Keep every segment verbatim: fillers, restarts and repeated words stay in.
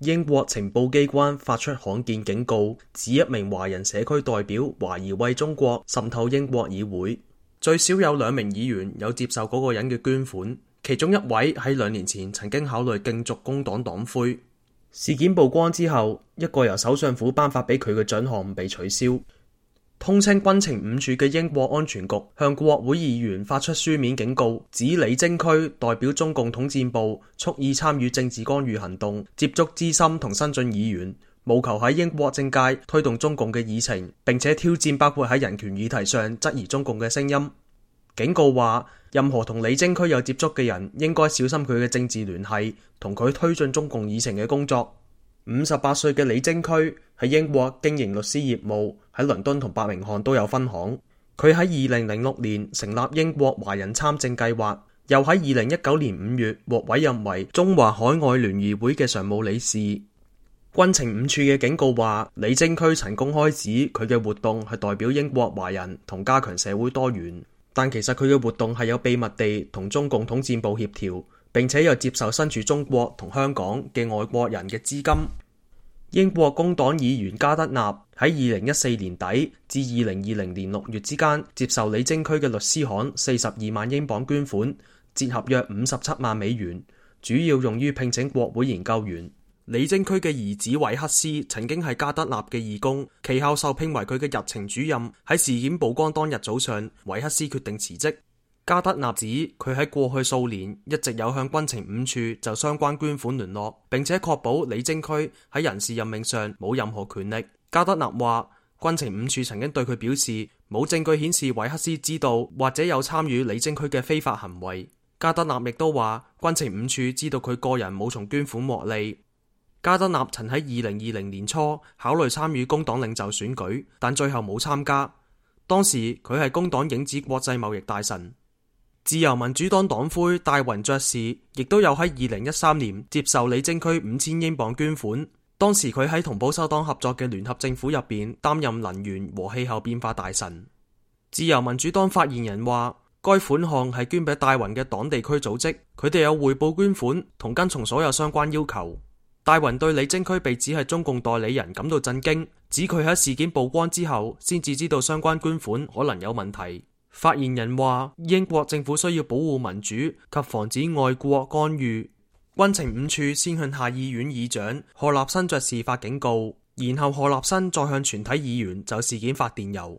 英國情報機關發出罕見警告，指一名華人社區代表懷疑為中國滲透英國議會，最少有兩名議員有接受嗰個人嘅捐款，其中一位喺兩年前曾經考慮競逐工黨黨魁。事件曝光之後，一個由首相府頒發俾佢嘅獎項被取消。通稱軍情五處嘅英國安全局向國會議員發出書面警告，指李貞駒代表中共統戰部蓄意參與政治干預行動，接觸資深同新進議員，務求喺英國政界推動中共嘅議程，並且挑戰包括喺人權議題上質疑中共嘅聲音。警告話，任何同李貞駒有接觸嘅人應該小心佢嘅政治聯繫同佢推進中共議程嘅工作。五十八歲嘅李貞駒喺英國經營律師業務，喺倫敦同伯明翰都有分行。佢喺二零零六年成立英國華人參政計劃，又喺二零一九年五月獲委任為中華海外聯誼會嘅常務理事。軍情五處嘅警告話，李貞駒曾公開指佢嘅活動係代表英國華人同加強社會多元，但其實佢嘅活動係有秘密地同中共統戰部協調，並且又接受身處中國同香港嘅外國人嘅資金。英國工黨議員加德納喺二零一四年底至二零二零年六月之間接受李貞駒嘅律師行四十二萬英鎊捐款，折合約五十七萬美元，主要用於聘請國會研究員。李貞駒嘅兒子韋克斯曾經係加德納嘅義工，其後受聘為佢嘅日程主任。喺事件曝光當日早上，韋克斯決定辭職。加德納指佢喺過去數年一直有向軍情五處就相關捐款聯絡，並且確保李貞駒喺人事任命上冇任何權力。加德納話，軍情五處曾經對佢表示冇證據顯示韋克斯知道或者有參與李貞駒嘅非法行為。加德納亦都話，軍情五處知道佢個人冇從捐款獲利。加德納曾喺二零二零年初考慮參與工黨領袖選舉，但最後冇參加。當時佢係工黨影子國際貿易大臣。自由民主黨黨魁戴雲爵士亦都有喺二零一三年接受李貞駒五千英鎊捐款，當時佢喺同保守黨合作嘅聯合政府入邊擔任能源和氣候變化大臣。自由民主黨發言人話，該款項係捐俾戴雲嘅黨地區組織，佢哋有匯報捐款同跟從所有相關要求。戴雲對李貞駒被指係中共代理人感到震驚，指佢喺事件曝光之後先至知道相關捐款可能有問題。發言人話，英國政府需要保護民主及防止外國干預。軍情五處先向下議院議長賀立新爵士發警告，然後賀立新再向全體議員就事件發電郵。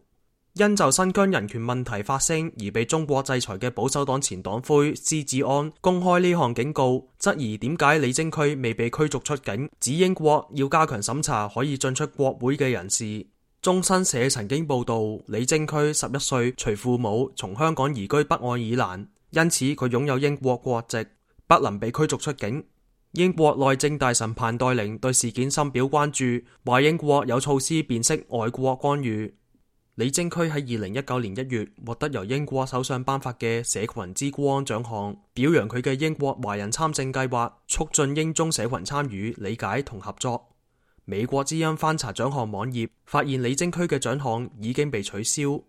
因就新疆人權問題發聲而被中國制裁嘅保守黨前黨魁施志安公開呢項警告，質疑點解李貞駒未被驅逐出境，指英國要加強審查可以進出國會嘅人士。中新社曾經報道，李貞駒十一歲隨父母從香港移居北愛爾蘭，因此佢擁有英國國籍，不能被驅逐出境。英國內政大臣彭黛玲對事件深表關注，話英國有措施辨識外國干預。李貞駒喺二零一九年一月獲得由英國首相頒發嘅社群之光獎項，表揚佢嘅英國華人參政計劃，促進英中社群參與、理解同合作。美國之音翻查獎項網頁，發現李貞駒嘅獎項已經被取消。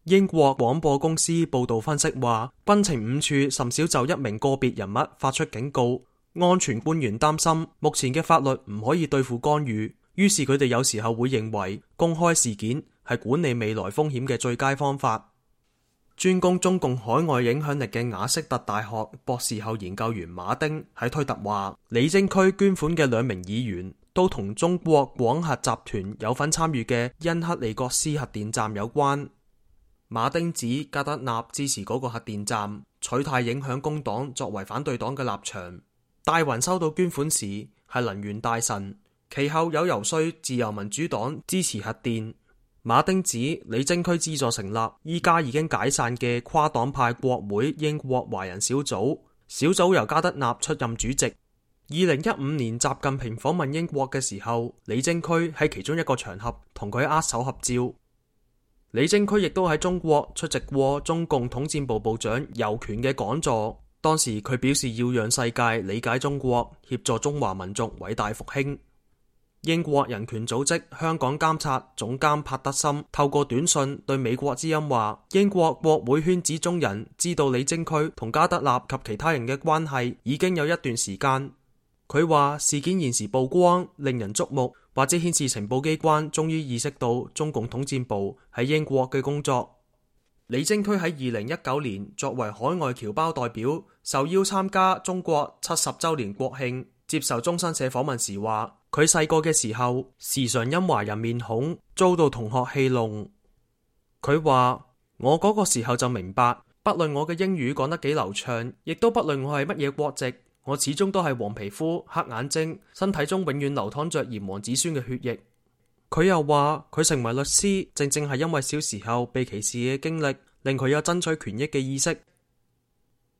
英國廣播公司報道分析話，軍情五處甚少就一名個別人物發出警告，安全官員擔心目前嘅法律唔可以對付干預，於是佢哋有時候會認為公開事件係管理未來風險嘅最佳方法。專攻中共海外影響力嘅雅色特大學博士後研究員馬丁喺推特話，李貞駒捐款嘅兩名議員都同中國廣核集團有份參與嘅恩克利格斯核電站有關。馬丁指加德納支持嗰個核電站，取態影響工黨作為反對黨嘅立場。戴雲收到捐款時係能源大臣，其後有游說自由民主黨支持核電。馬丁指李貞駒資助成立依家已經解散嘅跨黨派國會英國華人小組，小組由加德納出任主席。二零一五年習近平訪問英國嘅時候，李貞駒喺其中一個場合同佢握手合照。李貞駒亦都喺中國出席過中共統戰部部長尤權嘅講座，當時佢表示要讓世界理解中國，協助中華民族偉大復興。英國人權組織香港監察總監帕德森透過短信對美國之音話，英國國會圈子中人知道李貞駒同加德納及其他人嘅關係已經有一段時間。佢話事件現時曝光，令人矚目，或者顯示情報機關終於意識到中共統戰部喺英國嘅工作。李貞駒喺二零一九年作為海外僑胞代表，受邀參加中國七十週年國慶，接受中新社訪問時話，佢細個嘅時候，時常因華人面孔遭到同學戲弄。佢話，我嗰個時候就明白，不論我嘅英語講得幾流暢，亦都不論我係乜嘢國籍，我始終都係黃皮膚、黑眼睛，身體中永遠流淌着炎黃子孫嘅血液。佢又話，佢成為律師，正正係因為小時候被歧視嘅經歷，令佢有爭取權益嘅意識。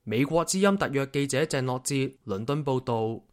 美國之音特約記者鄭樂哲倫敦報道。